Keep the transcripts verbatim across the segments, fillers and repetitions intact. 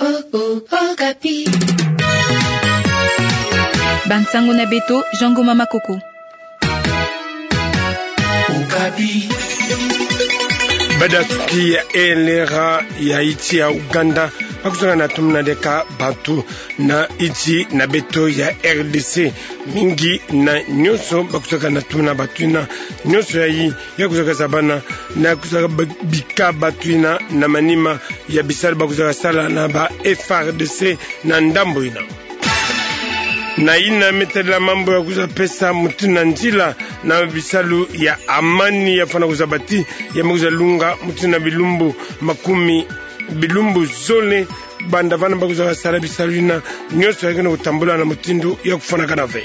Oh, oh, Okapi. Bansango na beto, Jean Ngoma Makoko. Okapi. Banda suki ya elera ya insi ya Ouganda, bakusaka na tumuna diaka bantu na insi na beto ya R D C. Mingi na nyonso bakusaka na tumuna bantu yina, nyonso yayi ya kusaka zabana na kusaka ba-, bika bantu yina na manima ya bisalu bakusaka sala na ba F A R D C na ndambu yina. Na yina me tadila mambu ya kusaka pesa mutindu na nzila na bisalu ya amani ya fwana kuzaba ti ya me kusaka lunga mutindu na bilumbu makumi, bilumbu zole, banda vana bakusaka sala bisalu yina, nyonso ya ke na kutambula na mutindu ya kufwanakana ve.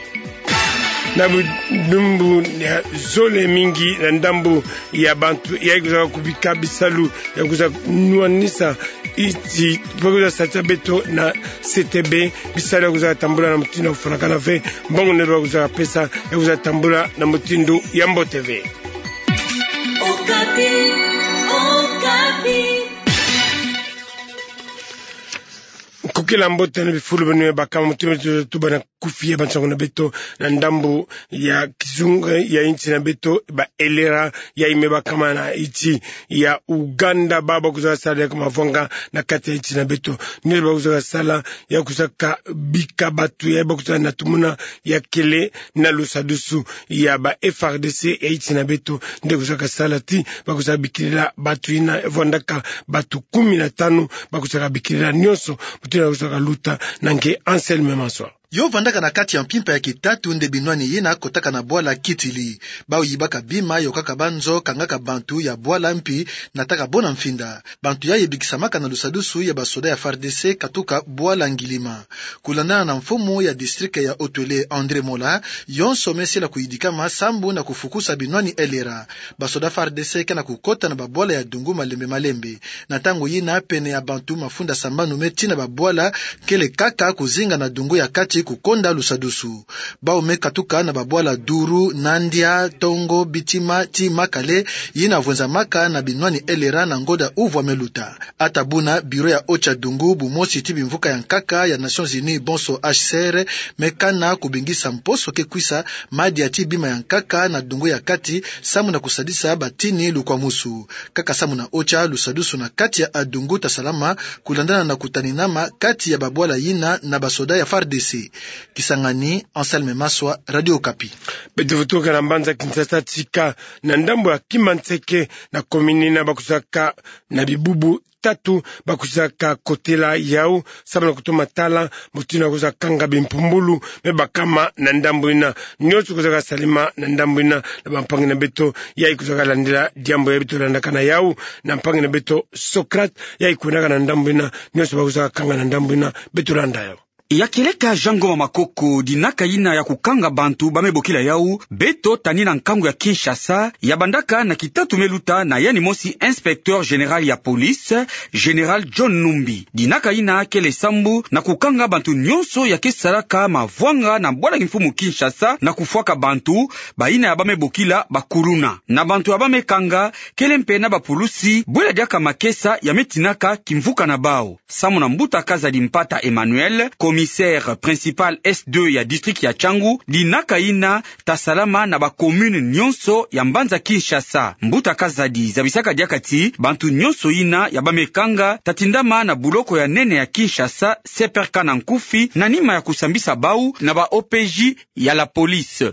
Na bilumbu ya zole, mingi na ndambu ya bantu ya kusaka kubika bisalu ya kusaka nwanisa insi, bakusaka satisa beto na C T B, bisalu ya kusaka tambula na mutindu ya kufwanakana ve, mbongo nde bakusaka pesa ya kusaka tambula na mutindu ya mbote ve. Okapi, Okapi. Nkokila mbote na bifulu beno ya bakama, mutindu beto tubana kufi ya bansango na beto na ndambu ya kizunga ya insi na beto, ba elera yayi me bakama na insi ya Ouganda, ba bakusaka sala diaka mavwanga na kati ya insi na beto. Nde bakusaka sala ya kusaka bika bantu ya bakusaka na tumuna ya kele na lusadusu ya ba F A R D C ya insi na beto, nde kusaka sala ti bakusaka bikilila bantu yina, vwandaka bantu kumi na tanu bakusaka bikilila nyonso, mutindu ya kusaka luta. Na nge Anselme Maswa. Yo vandaka na kati ya mpimpa ya kitatu nde binwani yina kotaka na bwala Kitili. Bawu yibaka bima, yokaka banzo, kangaka bantu ya bwala mpi nataka bo na mfinda. Bantu yayi bikisamaka na lusadusu ya basoda ya F A R D C katuka bwala Ngilima. Kulandana na mfumu ya district ya Haut-Uele André Mola, yonso me sila kuyidikama sambu na kufukusa binwani elera. Basoda F A R D C ke na kukota na babwala ya dungu malembe malembe. Na ntangu yina, pene ya bantu mafunda sambanu me tina babwala, kele kaka kuzinga na dungu ya kati kukonda lusadusu. Bawu me katuka na babwala Duru, Nandia, Tongo, Bitima, ti Makale, yina vwenzamaka na binwani elera na ngonda uvwa me luta. Ata buna, biro ya OCHA dungu bumosi ti bimvuka ya nkaka ya Nations Unies, bonso H C R, me kana kubingisa mposo ke kwisa madia ti bima ya nkaka na dungu ya kati, samu na kusadisa batini lukwamusu. Kaka samu na OCHA, lusadusu na kati ya adungu tasalama, kulandana na kutaninama kati ya babwala yina na basoda ya F A R D C. Kisangani, Anselme Maswa, Radio Okapi. Beto vutuka na mbanza Kinshasa, tika na ndambu ya Kimanseke, na komini yina bakusaka na bibubu tatu bakusaka kotela yawu, samu na kutoma tala mutindu ya kusaka kanga bimpumbulu me bakama na ndambu yina. Nyonso kusaka salama na ndambu yina na bampangi na beto yayi kusaka landila diambu yayi. Beto landaka na yawu na mpangi na beto Socrate, yayi kwendaka na ndambu yina, nyonso bakusaka kanga na ndambu yina, beto landa yawu. Ya kieleka Jean Ngoma Makoko, dinaka yina ya kukanga bantu ba me bokila yawu, beto tani na nkangu ya Kinshasa, ya bandaka na kitatu me luta na yandi mosi inspecteur général ya police, Général John Numbi. Dinaka yina kele sambu na kukanga bantu nyonso ya ke salaka mavwanga na bwala kimfumu Kinshasa na kufwaka bantu, bayina ya ba me bokila bakuluna. Na bantu ya ba me kanga, kele mpe na bapulusi, bwela diaka makesa ya me tinaka kimvuka na bawu. Samu na mbuta Kazadi Mpata Emmanuel, commissaire principal S deux ya district ya Tshangu, dinaka yina tasalama na ba commune nyonso ya mbanza Kinshasa. Mbuta Kazadi zabisaka diaka ti bantu nyonso yina ya ba me kanga tatindama na buloko ya nene ya Kinshasa, C P R K na nkufi, na nima ya kusambisa bawu na ba O P J ya la police.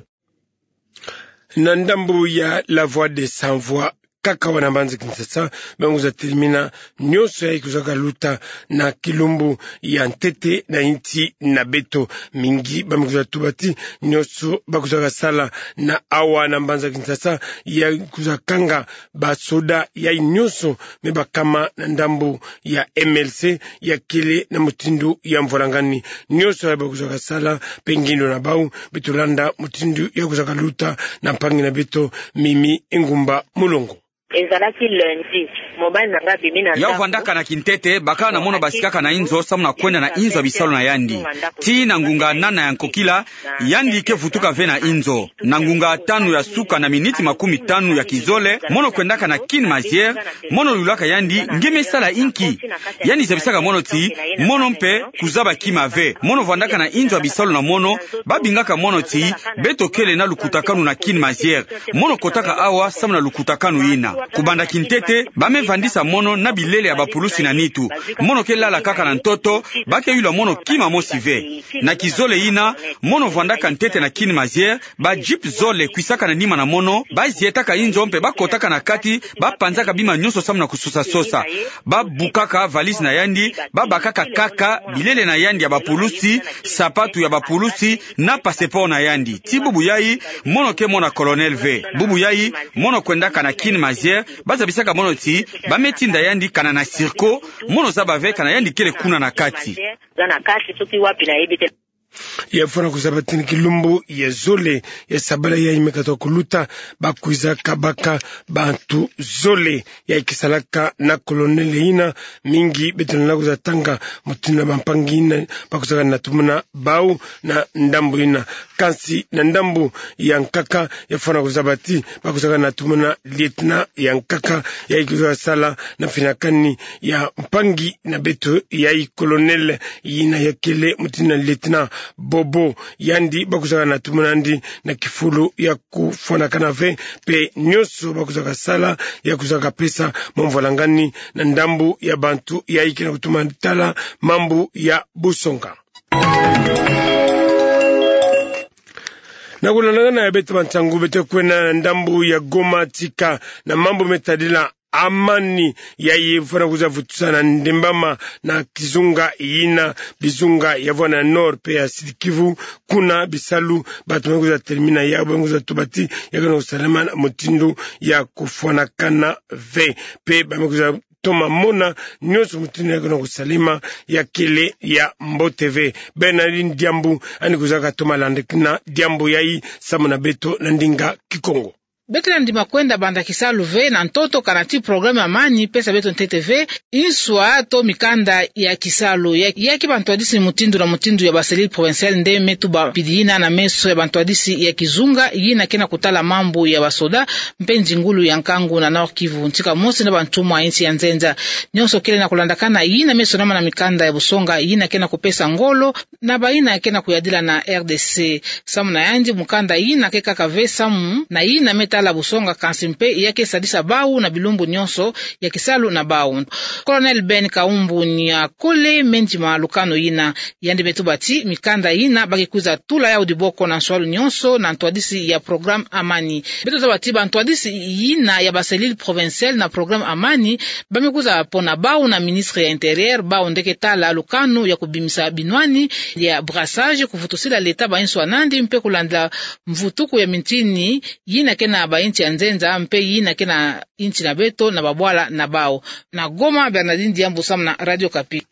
Na ndambu ya La Voix des Sans Voix, kaka awa na mbanza Kinshasa, ba me kwiza telimina nyonso yayi kwizaka luta na kilumbu ya ntete na insi na beto. Mingi ba me kwiza tuba ti nyonso ba kwizaka sala na awa na mbanza Kinshasa ya kwiza kanga basoda yayi nyonso me bakama na ndambu ya M L C ya kele na mutindu ya mvwalangani. Nyonso yayi ba kwizaka sala mpe ngindo na bawu, beto landa mutindu ya kwizaka luta na mpangi na beto Mimi Ngumba Mulongo. Ezalaki lundi, mobali na nga abimi na ndako. Ya vandaka na kintete, bakala na mono basikaka na inzo, samu na kwenda na inzo ya bisalu na yandi. Tii na ngunga nana ya nkokila, yandi ke vutuka ve na inzo. Na ngunga tanu ya suka na miniti makumi tanu ya kizole, mono kwendaka na Queen Mazière, mono yulaka yandi: Nge me sala inki? Yandi zabisaka mono ti: Mono mpe kuzaba kima ve. Mono vandaka na inzo ya bisalu na mono, babingaka mono ti: Beto kele na lukutakanu na Queen Mazière. Mono kotaka awa samu na lukutakanu yina. Kubanda kintete, ba me vandisa mono na bilele ya bapulusi na nitu. Mono ke lala kaka na ntoto, ba ke yula mono kima mosi ve. Na kizole yina, mono vandaka ntete na Queen Mazière, ba jeep zole kwisaka na nima na mono, ba zietaka inzo mpe ba kotaka na kati, ba panzaka bima nyonso samu na kusosa-sosa. Ba bukaka valise na yandi, ba bakaka kaka bilele na yandi ya bapulusi, sapatu ya bapulusi, na passeport na yandi. Tii bubu yayi, mono ke mona colonel ve. Bubu yayi, mono kwendaka na Queen Mazière, ba zabisaka mono ti: Ba me tinda yandi kana na Circo, mono zaba ve kana yandi kele kuna na kati. Za na kati, soki wapi nayebi te. Ya fwana kuzaba ti na kilumbu ya zole ya sabala yayi me katuka kuluta, ba kwiza kabaka bantu zole yayi kisalaka na colonel yina. Mingi beto lenda kuza tanga mutindu na bampangi yina ba kuzaka na tumuna bawu na ndambu yina. Kansi na ndambu ya nkaka, ya fwana kuzaba ti ba kuzaka na tumuna lieutenant ya nkaka yayi kuzaka sala na mfinakani ya mpangi na beto yayi, colonel yina ya kele mutindu na lieutenant Bobo. Yandi ba kuzaka na tumuna yandi na kifulu ya kufwanakana ve, mpe nyonso ba kuzaka sala ya kuzaka pesa mwa mvwalangani na ndambu ya bantu yayi ke na kutuma tala mambu ya busonga. Na kulandakana ya beto bansangu, beto kwenda na ndambu ya Goma tika na mambu me tadila amani yayi fwana kuza vutusa na ndembama na kizunga yina, bizunga ya vwa na Nord mpe ya Sud-Kivu. Kuna bisalu bato me kuza telemina yawu, ba me kuza tuba ti ya ke na kusalama na mutindu ya kufwanakana ve, mpe ba me kuza toma mona nyonso mutindu ya ke na kusalama ya kele ya mbote ve. Bernardine Diambu yandi kuzaka toma landakana diambu yayi samu na beto na ndinga Kikongo. Beto lenda ndima kwenda banda kisalu ve na ntoto kana ti programme amani pesa beto ntete ve inswa to mikanda ya kisalu. Ya, ya ke bantwadisi mutindu na mutindu ya ba cellule provinciale nde me tuba mpidi yina na meso ya bantwadisi ya kizunga yina ke na kutala mambu ya basoda mpe nzingulu ya nkangu na Nord-Kivu, ntika mosi na bantumwa ya insi ya nzenza. Nyonso kele na kulandakana yina me sonama na mikanda ya busonga yina ke na kupesa ngolo na bayina ke na kuyadila na R D C. Samu na yandi, mukanda yina ke kaka ve samu na yina me tala busonga, kansi mpe ya ke sadisa bawu na bilumbu nyonso ya kisalu na bawu. Colonel Ben Kaumbu Niakole me ndima lukanu yina. Yandi me tuba ti mikanda yina ba ke kwiza tula yawu diboko na nswalu nyonso na ntwadisi ya programme amani. Beto zaba ti bantwadisi yina ya ba cellule provinciale na programme amani ba me kwiza pona bawu na ministre ya Intérieur, bawu nde ke tala lukanu ya kubimisa binwani ya brassage, kuvutusila leta ba inswa nandi mpe kulandila mvutuku ya mintini yina ke na ba insi ya nzenza mpe yina ke na insi na beto na babwala na bawu. Na Goma, Bernardine Diambu samu na Radio Okapi.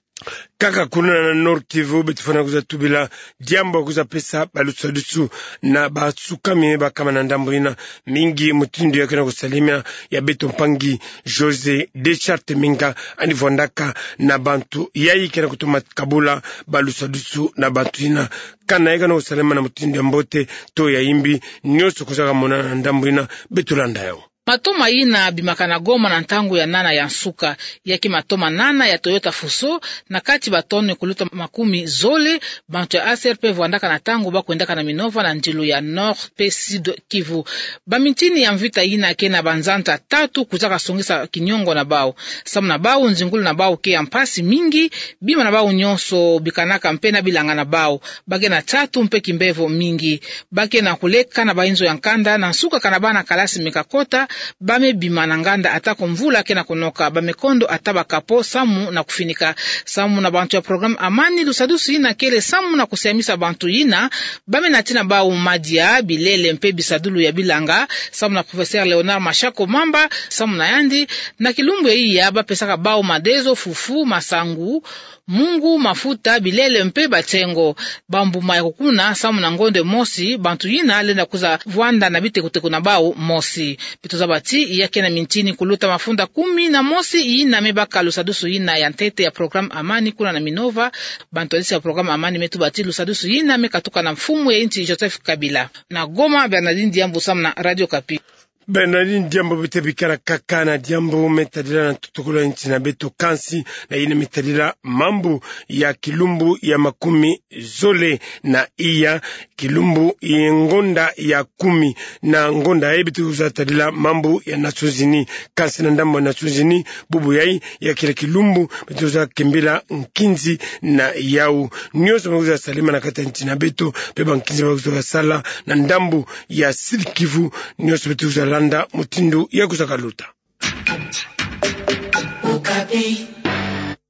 Kaka kuna na Nord-Kivu, beto fwana kwiza tubila diambu ya kwiza pesa balusadusu na basukami bakama na ndambu yina. Mingi mutindu ya ke na kusalama ya beto mpangi José Deschartes Minga yandi vwandaka na bantu yayi ke na kutoma kabula balusadusu na bantu yina. Kana ya ke na kusalama na mutindu ya mbote to ya yimbi, nyonso kuzaka monana na ndambu yina. Beto landa yawu. Matoma yina bimaka na Goma na ntangu ya nana ya nsuka. Ya ke matoma nana ya Toyota Fuso, na kati ba tonnes kuluta makumi zole. Bantu ya A C R P vwandaka na ntangu ba kwendaka na Minova na ndilu ya Nord mpe Sud-Kivu. Bamintini ya mvita yina ke na banzanza tatu kuzaka songisa kiniongo na bawu. Samu na bawu, nzingulu na bawu ke ya mpasi mingi, bima na bawu nyonso bikanaka mpe na bilanga na bawu. Ba ke na nsatu mpe kimbevo mingi. Ba ke na kuleka na bainzo ya nkanda, na nsuka kana bana kalasi me kakota, ba me bima na nganda ata ko mvula ke na kunoka, ba me kondo ata ba capot samu na kufinika. Samu na bantu ya programme amani, lusadusu yina kele samu na kusiamisa bantu yina ba me nati na bawu madia, bilele mpe bisadulu ya bilanga. Samu na professeur Léonard Mashako Mamba, samu na yandi, na kilumbu ya iya ba pesaka bawu madezo, fufu, masangu, mungu, mafuta, bilele mpe batsengo. Bambuma ya kukuna samu na ngonde mosi, bantu yina lenda kwiza vwanda na bitekuteku na bawu mosi. Beto za Bati, ya ke na mintini kuluta mafunda kumi na mosi yina me baka lusadusu yina ya ntete ya programme Amani kuna na Minova. Bantwadisi ya programme Amani me tuba ti lusadusu yina me katuka na mfumu ya insi Joseph Kabila. Na Goma, Bernardine Diambu samu na Radio Okapi. Bernardine Diambu, beto bikala kaka na diambu me tadila na ntoto kolo ya insi na beto, kansi na yina me tadila mambu ya kilumbu ya makumi zole na iya, kilumbu ya ngonda ya kumi na ngonda, e, beto kwiza tadila mambu ya Nations Unies. Kansi na ndambu ya Nations Unies, bubu yayi ya kele kilumbu beto kwiza kembila nkinzi na yau. Nionso me kwiza salema na kati ya insi na beto, mpe bankinzi ba kwiza kasala na ndambu ya Sud-Kivu, nionso beto kwiza landa mutindu ya kwiza kaluta.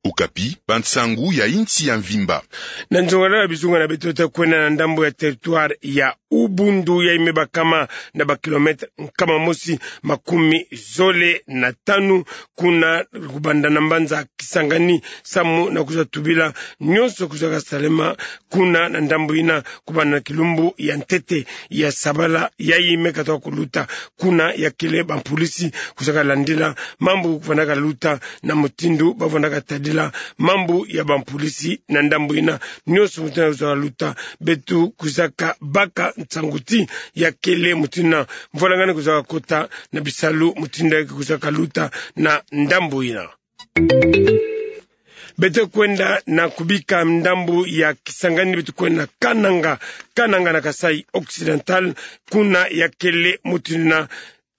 Okapi, bansangu ya insi ya mvimba. Na nzongalala ya bizunga na beto, ta kwenda na ndambu ya territoire ya Ubundu, yayi me bakama na ba kilomètre nkama mosi makumi zole na tanu, kuna kubanda na mbanza Kisangani, samu na kwiza tubila nionso kwiza kasalema kuna na ndambu yina, kubanda na kilumbu ya ntete ya sabala yayi me katuka kuluta. Kuna ya kele bampulisi kwiza kalandila mambu kuvanda kaluta, na mutindu ba vanda katadila mambu ya bampulisi na ndambu yina. Nionso mutindu kwiza kaluta, beto kwiza kabaka nsangu ti ya kele mutindu yina mvwalangani kwiza kakota na bisalu mutindu yina kwiza kaluta na ndambu yina. Beto kwenda na kubika ndambu ya Kisangani, beto kwenda na Kananga, Kananga na Kasaï Occidental, kuna ya kele mutindu yina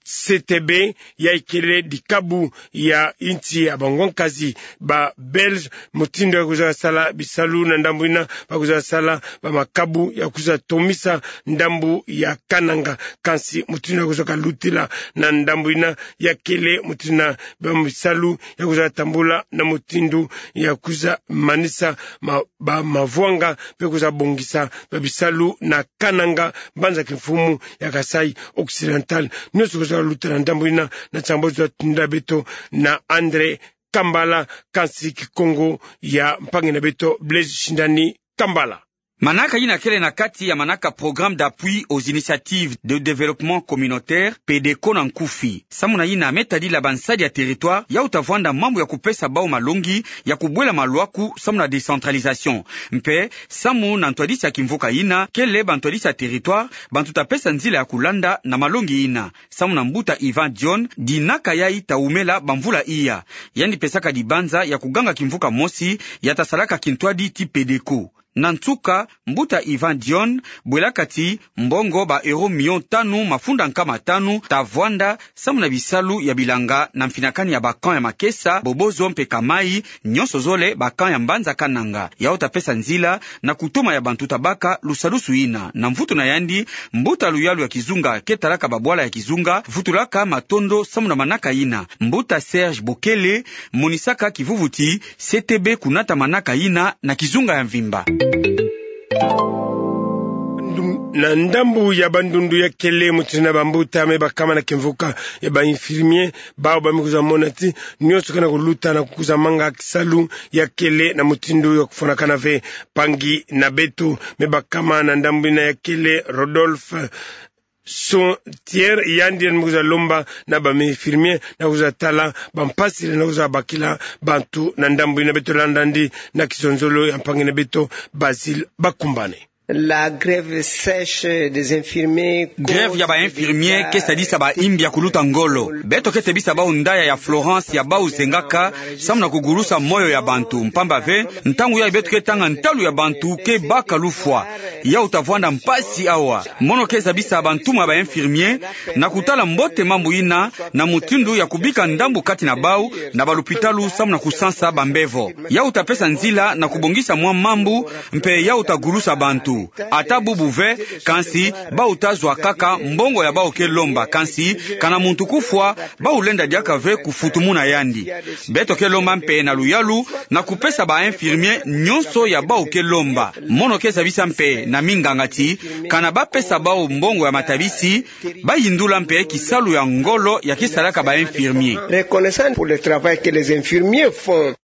C T B, yayi kele dikabu ya insi ya bangwankazi ba Belge, mutindu ya kwiza kasala bisalu na ndambu yina, ba kwiza kasala bamakabu ya kwiza tomisa ndambu ya Kananga. Kansi mutindu ya kwiza kalutila na ndambu yina ya kele mutindu yina ba bisalu ya kwiza tambula na mutindu ya kwiza manisa ma-, ba mavwanga, mpe kwiza bongisa ba bisalu na Kananga, mbanza kimfumu ya Kasaï Occidental. Nionso kwiza kaluta na ndambu yina, na nsangu ba kwiza tindila beto na André Kambala, kansi Kikongo ya mpangi na beto Blaise Shindani Kambala. Manaka yina kele na kati ya manaka Programme d'appui aux initiatives de développement communautaire, PDCO na nkufi. Samu na yina me tadila bansadi ya territoire, ya uta vwanda mambu ya kupesa bau malongi ya kubwela malwaku samu na décentralisation. Mpe samu na ntwadisi ya kimvuka yina, kele bantwadisi ya territoire, bantu ta pesa nzila ya kulanda na malongi yina. Samu na mbuta Ivan Dion, dinaka yayi ta wumela bamvula iya. Yandi pesaka dibanza ya kuganga kimvuka mosi ya ta salaka kintwadi ti PDCO. Na nsuka, mbuta Ivan Dion bwelaka ti mbongo ba euro million tanu mafunda nkama tanu ta vwanda samu na bisalu ya bilanga na mfinakani ya ba camp ya Makesa, Bobozo mpe Kamai, nionso zole ba camp ya mbanza Kananga. Yau ta pesa nzila na kutoma ya bantu ta baka lusadusu yina. Na mvutu na yandi, mbuta luyalu ya kizunga ke talaka babwala ya kizunga vutulaka matondo samu na manaka yina. Mbuta Serge Bokele monisaka kivuvu ti C T B kunata manaka yina na kizunga ya mvimba. Na ndambu ya Bandundu ya kele mutindu yina bambuta me bakama na kimvuka ya ba infirmier, bau ba me kwiza mona ti nionso ke na kuluta na kukwiza manga kisalu ya kele na mutindu ya kufwanakana ve. Mpangi na beto, me bakama na ndambu yina ya kele Rodolphe Sauntière, yandi yandi me kwiza lomba na ba infirmier na kwiza tala bampasi na kwiza bakila bantu na ndambu yina. Beto landa yandi na kizonzolo ya mpangi na beto Basile Bakumbane. La grève sèche des infirmiers. Grève ya ba infirmiers ke sadisa ba imbi ya kuluta ngolo. Beto ke tebisa bau ndaya ya Florence ya bau zengaka samu na kugulusa moyo ya bantu. Mpamba ve, ntangu yayi beto ke tanga ntalu ya bantu ke baka lufwa. Yau ta vwanda mpasi awa. Mono ke zabisa bantumwa ba infirmier na kutala mbote mambu yina na mutindu ya kubika ndambu kati na bau na balupitalu samu na kusansa bambevo. Yau ta pesa nzila na kubongisa mwa mambu, mpe yau ta gulusa bantu. Ata bubu ve, kansi bau ta zwa kaka mbongo ya bau ke lomba, kansi kana muntu kufwa, bau lenda diaka ve kufutumuna yandi. Beto ke lomba mpe na luyalu na kupesa ba infirmier nionso ya bau ke lomba. Mono ke zabisa mpe na minganga ti kana ba pesa bau mbongo ya matabisi, ba yindula mpe kisalu ya ngolo ya ke salaka ba infirmier. Reconnaissant pour le travail que les infirmiers font.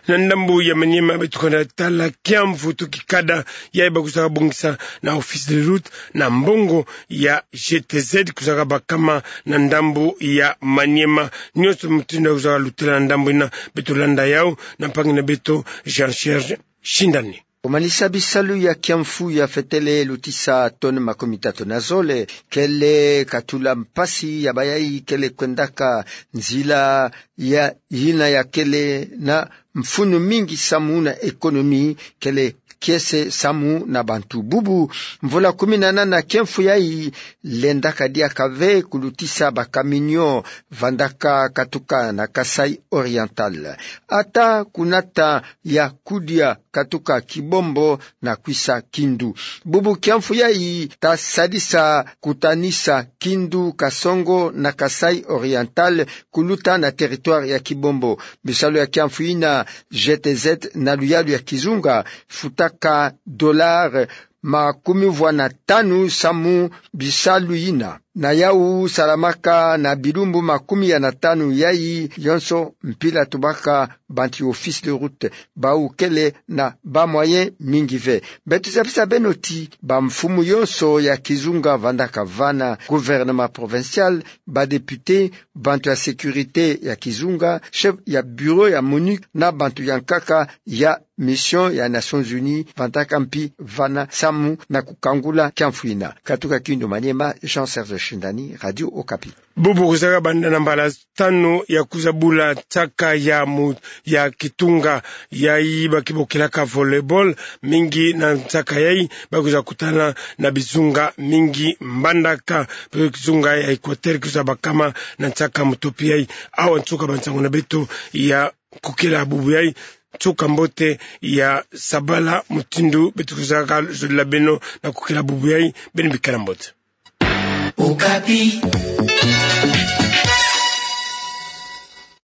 Na ndambu ya Maniema beto kwenda tala kiamfu to kikada yayi ba kusaka bongisa na office de route na mbongo ya G T Z kusaka bakama na ndambu ya Maniema. Nionso mutindu ya kusaka lutela na ndambu yina beto landa yawu na mpangi na beto Jean Serge Shindani. Kumanisa bisalu ya kiamfu ya fetele lutisa tonne makumi tatu na zole, kele katula mpasi ya bayayi kele kwendaka nzila ya yina ya kele na mfunu mingi samu na économie, kele kiese samu na bantu. Bubu mvula kumi na nana kiamfu yayi lendaka diaka ve kulutisa bakaminio vandaka katuka na Kasaï Oriental. Ata kunata ya kudia katuka Kibombo na kwisa Kindu. Bubu kiamfu yayi ta sadisa kutanisa Kindu, Kasongo na Kasaï Oriental kuluta na territoire ya Kibombo. Bisalu ya kiamfu yina, G T Z na luyalu ya kizunga futaka dollar makumi vwa na tanu samu bisalu yina. Na yawu salamaka na bilumbu makumi ya na tanu yayi yonso mpila tubaka bantu ya office de route, bawu kele na ba moyen mingi ve. Beto zabisa beno ti bamfumu yonso ya kizunga vandaka vana: gouvernement provincial, ba député, bantu ya sécurité ya kizunga, chef ya bureau ya MONUC na bantu ya nkaka ya mission ya Nations Unies vandaka mpi vana samu na kukangula kiamfu yina. Katuka Kindu Maniema, Jean Serge Shindani, Radio Okapi. Bubu kuzaka banda na mbala tanu ya kuzabula nsaka ya mu-, ya kitunga yayi ba kibokilaka volleyball. Mingi na nsaka yayi ba kuza kutana na bizunga mingi mbandaka. Pe kizunga ya Équateur kuza bakama na nsaka mutopi yayi. Awa nsuka ba nsangu na beto ya kukila bubu yayi. Nsuka mbote ya sabala mutindu beto kuzaka zolila beno na kukila bubu yayi. Beno bikala mbote. Okapi.